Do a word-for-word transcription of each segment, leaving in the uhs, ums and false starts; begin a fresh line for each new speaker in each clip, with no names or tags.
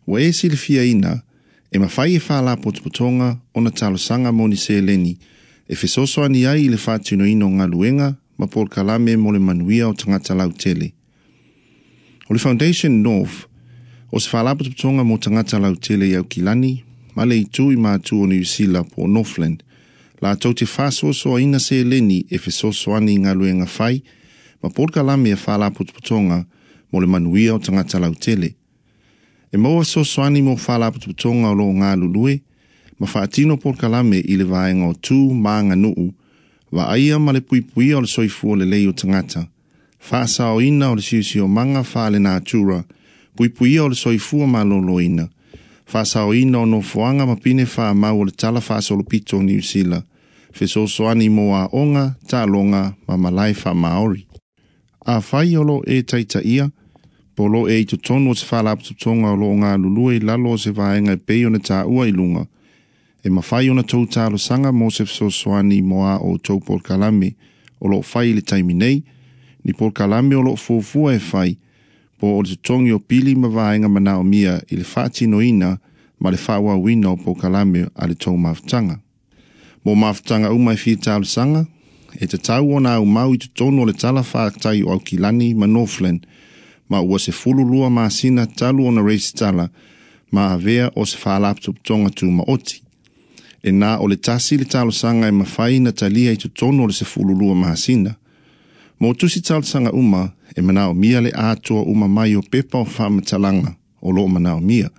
Ua e silifiaina, e mafai e faalapotopotoga ona talosaga mo ni seleni e fesoasoani ai i le faatinoina o galuega ma polokalame mo le manuia o tagata lautele. O le Foundation North, o se faalapotopotoga mo tagata lautele i Aukilani ma le itu i matu o Niu Sila po o Northland, latou te faasoasoaina seleni e fesoasoani i galuega fai ma polokalame a faalapotopotoga mo le manuia o tagata lautele. E maua fesoasoani mo faalapotopotoga o lo o galulue ma faatino polokalame i le vaega o tu ma aganuu, vaaia ma le puipuia o le soifua lelei o tagata, faasaoina o le siosiomaga faalenatura, puipuia o le soifua maloloina, faasaoina o nofoaga ma pine faamau o le tala faasolopito o Niu Sila, fesoasoani mo aoga, taaloga ma malae faamaori. Afai o lo o e taitaia, po o lo o e i totonu o se faalapotopotoga o lo o galulue i lalo o se vaega e pei ona taua i luga, e mafai ona outou talosaga mo se fesoasoani mo a outou polokalame o lo o fai i le taimi nei, ni polokalame o lo o fuafua e fai, po o le totogi o pili ma vaega manaomia i le faatinoina ma le faaauauina o polokalame a le tou mafutaga. Mo mafutaga uma e fia talosaga, e tatau ona aumau i totonu o le tala fatai o Aukilani ma Northland, ma ua sefulu lua masina talu ona resitala ma avea o se faalapotopotoga tumaoti. E na o le tasi le talosaga e mafai ona talia i totonu o le sefulu lua masina. Mo tusi talosaga uma, e manaomia le atoa uma mai o pepa o faamatalaga o lo o manaomia,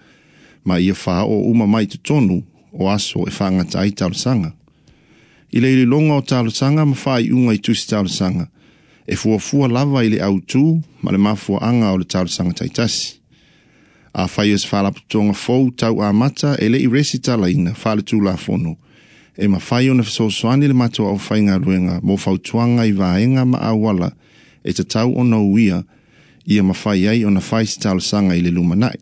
ma ia faaoo uma mai i totonu o aso e faagata ai talosaga. I le iloiloga o talosaga ma faaiuga i tusi talosaga, e fuafua lava i le autu ma le mafuaaga o le talosaga taitasi. Afai o se faalapotopotoga fou tau amata e le i resitalaina faaletulafono, e mafai ona fesoasoani le matou aufaigaluega mo fautuaga i vaega ma auala e tatau ona uia ia mafai ai ona fai se talosaga i le lumanai.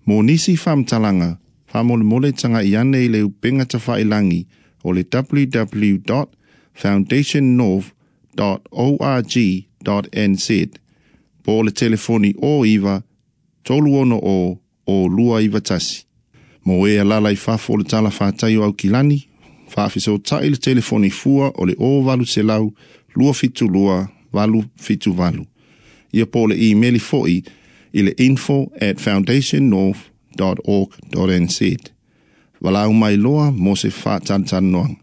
Mo nisi faamatalaga, faamolemole tagai ane i le upega tafailagi o le w w w dot foundation north dot org dot n z po o le telefoni o iva tolu ono o o lua iva tasi. Mo e alaala i fafo o le tala fatai o Aukilani, faafesootai le telefoni fua o le o valu selau lua fitu lua valu fitu valu. Ia po o le imeli foi i le info at foundation north dot org dot n z. Valaau mai loa mo se faatalatalanoaga.